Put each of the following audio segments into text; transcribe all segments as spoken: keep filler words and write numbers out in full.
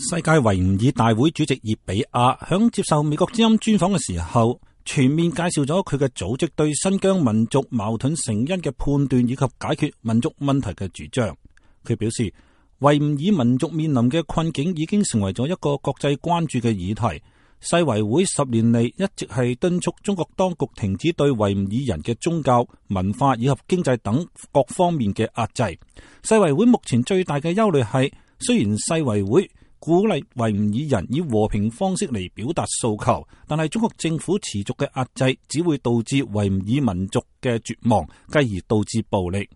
世界維吾爾大會主席葉比亞響接受美國之音專訪嘅時候，全面介紹咗佢嘅組織對新疆民族矛盾成因嘅判斷以及解決民族問題嘅主張。佢表示，維吾爾民族面臨嘅困境已經成為咗一個國際關注嘅議題。世維會十年嚟一直係敦促中國當局停止對維吾爾人嘅宗教、文化以及經濟等各方面嘅壓制。世維會目前最大嘅憂慮係，雖然世維會鼓勵維吾爾人以和平方式嚟表達訴求，但係中國政府持續嘅壓制只會導致維吾爾民族嘅絕望，繼而導致暴力。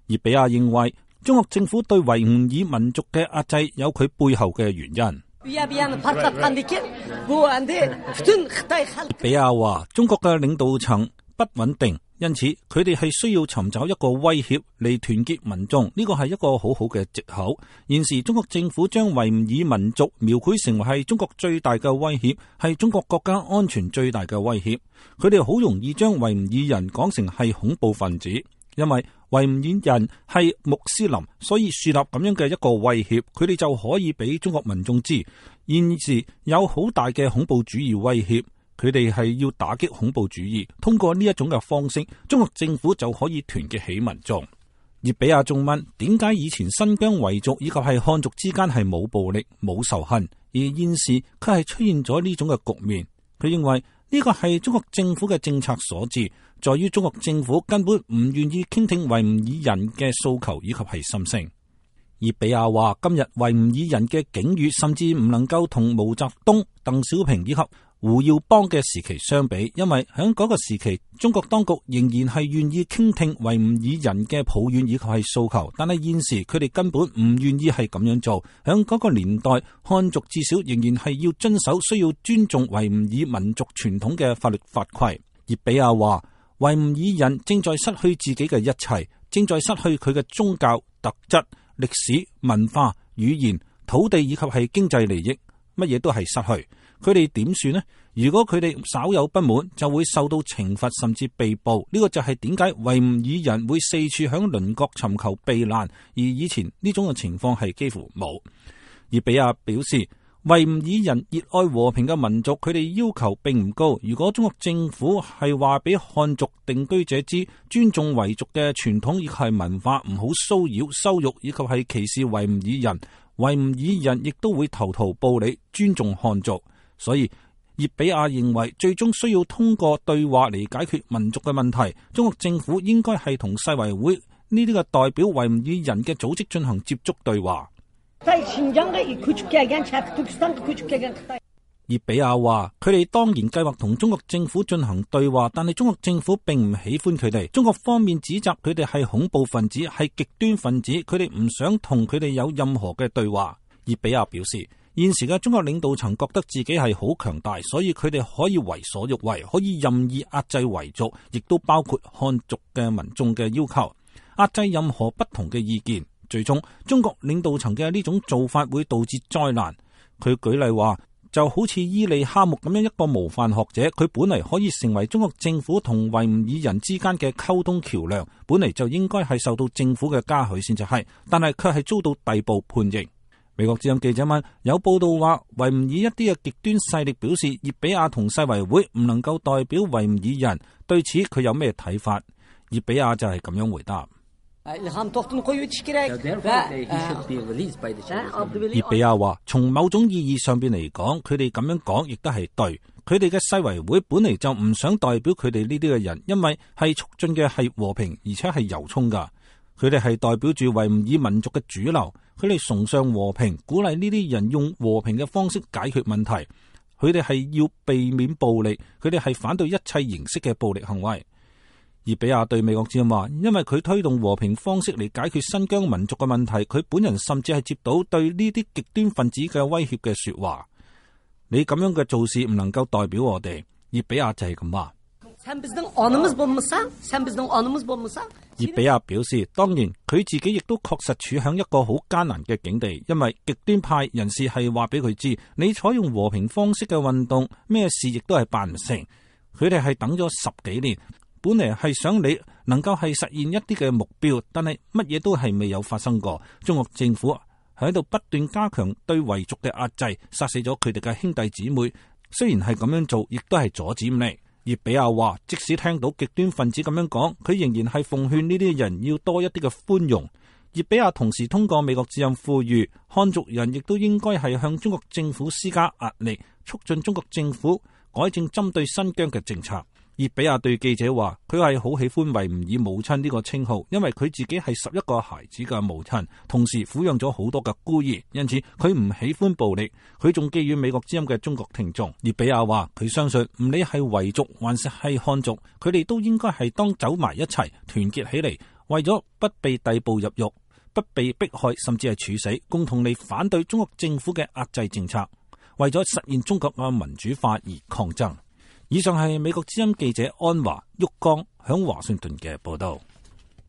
葉比亞認為，中國政府對維吾爾民族嘅壓制有佢背後嘅原因。比亞話，中國嘅領導層不穩定，因此佢哋係需要尋找一個威脅嚟團結民眾，呢個係一個好好嘅藉口。現時中國政府將維吾爾民族描繪成為係中國最大嘅威脅，係中國國家安全最大嘅威脅。佢哋好容易將維吾爾人講成係恐怖分子，因為維吾爾人係穆斯林，所以樹立咁樣嘅一個威脅，佢哋就可以俾中國民眾知，現時有好大嘅恐怖主義威脅，佢哋係要打擊恐怖主義。通過呢一種嘅方式，中國政府就可以團結起民眾。葉比亞仲問，點解以前新疆維族以及係漢族之間係冇暴力、冇仇恨，而現時佢係出現咗呢種嘅局面？佢認為呢個係中國政府嘅政策所致，在於中國政府根本唔願意傾聽維吾爾人嘅訴求以及係心聲。葉比亞話，今日維吾爾人嘅境遇甚至唔能夠同毛澤東、鄧小平以及胡耀邦嘅時期相比，因為喺嗰個時期，中國當局仍然係願意傾聽維吾爾人嘅抱怨以及係訴求，但係現時佢哋根本唔願意係咁樣做。喺嗰個年代，漢族至少仍然係要遵守需要尊重維吾爾民族傳統嘅法律法規。葉比亞話，維吾爾人正在失去自己嘅一切，正在失去佢嘅宗教、特質、歷史、文化、語言、土地以及係經濟利益，乜嘢都係失去。佢哋點算呢？如果佢哋稍有不滿，就會受到懲罰，甚至被捕。呢、這個就係點解維吾爾人會四處響鄰國尋求避難，而以前呢種嘅情況係幾乎冇。葉比亞表示，維吾爾人熱愛和平嘅民族，佢哋要求並唔高。如果中國政府係話俾漢族定居者知，尊重維族嘅傳統以及係文化，唔好騷擾、羞辱以及係歧視維吾爾人，維吾爾人亦都會投桃報李，尊重漢族。所以葉比亞認為，最終需要通過對話嚟解決民族嘅問題。中國政府應該係同世維會呢啲嘅代表維吾爾人嘅組織進行接觸對話。葉比亞話，佢哋當然計劃同中國政府進行對話，但係中國政府並唔喜歡佢哋。中國方面指責佢哋係恐怖分子，係極端分子，佢哋唔想同佢哋有任何嘅對話。葉比亞表示，現時嘅中國領導層覺得自己係好強大，所以佢哋可以為所欲為，可以任意壓制維族，亦都包括漢族嘅民眾嘅要求，壓制任何不同嘅意見。最終，中國領導層嘅呢種做法會導致災難。佢舉例話，就好似伊利哈木咁樣一個模範學者，佢本嚟可以成為中國政府同維吾爾人之間嘅溝通橋樑，本嚟就應該係受到政府嘅嘉許先至係，但係卻係遭到逮捕判刑。美國之音記者問，有報道話維吾爾一啲嘅極端勢力表示，葉比亞同世維會唔能夠代表維吾爾人，對此佢有咩睇法？葉比亞就係咁樣回答。葉比亞話，從某種意義上邊嚟講，佢哋咁樣講亦都係對。佢哋嘅世維會本嚟就唔想代表佢哋呢啲嘅人，因為係促進嘅係和平，而且係由衷噶。佢哋係代表住維吾爾民族嘅主流，佢哋崇尚和平，鼓勵呢啲人用和平嘅方式解決問題。佢哋係要避免暴力，佢哋係反對一切形式嘅暴力行為。葉比亞對美國之音話，因為佢推動和平方式嚟解決新疆民族嘅問題，佢本人甚至係接到對呢啲極端分子嘅威脅嘅說話。你咁樣嘅做事唔能夠代表我哋。葉比亞就係咁話。葉比亞表示，當然佢自己亦都確實處喺一個好艱難嘅境地，因為極端派人士係話俾佢知，你採用和平方式嘅運動，咩事亦都係辦唔成。佢哋係等咗十幾年，本嚟係想你能夠係實現一啲嘅目標，但係乜嘢都係未有發生過。中國政府係喺度不斷加強對維族嘅壓制，殺死咗佢哋嘅兄弟姊妹。雖然係咁樣做，亦都係阻止唔嚟。葉比亞話，即使聽到極端分子咁樣講，佢仍然係奉勸呢啲人要多一啲嘅寬容。葉比亞同時通過美國之音呼籲，漢族人亦都應該係向中國政府施加壓力，促進中國政府改正針對新疆嘅政策。葉比亞對記者話，佢係好喜歡維吾爾母親呢個稱號，因為佢自己係十一個孩子嘅母親，同時撫養咗好多嘅孤兒，因此佢唔喜歡暴力。佢仲寄予美國之音嘅中國聽眾。葉比亞話，佢相信唔理係維族還是係漢族，佢哋都應該係當走埋一齊，團結起嚟，為咗不被逮捕入獄，不被迫害，甚至係處死，共同嚟反對中國政府嘅壓制政策，為咗實現中國嘅民主化而抗爭。以上係美國之音記者安華旭光響華盛頓嘅報道。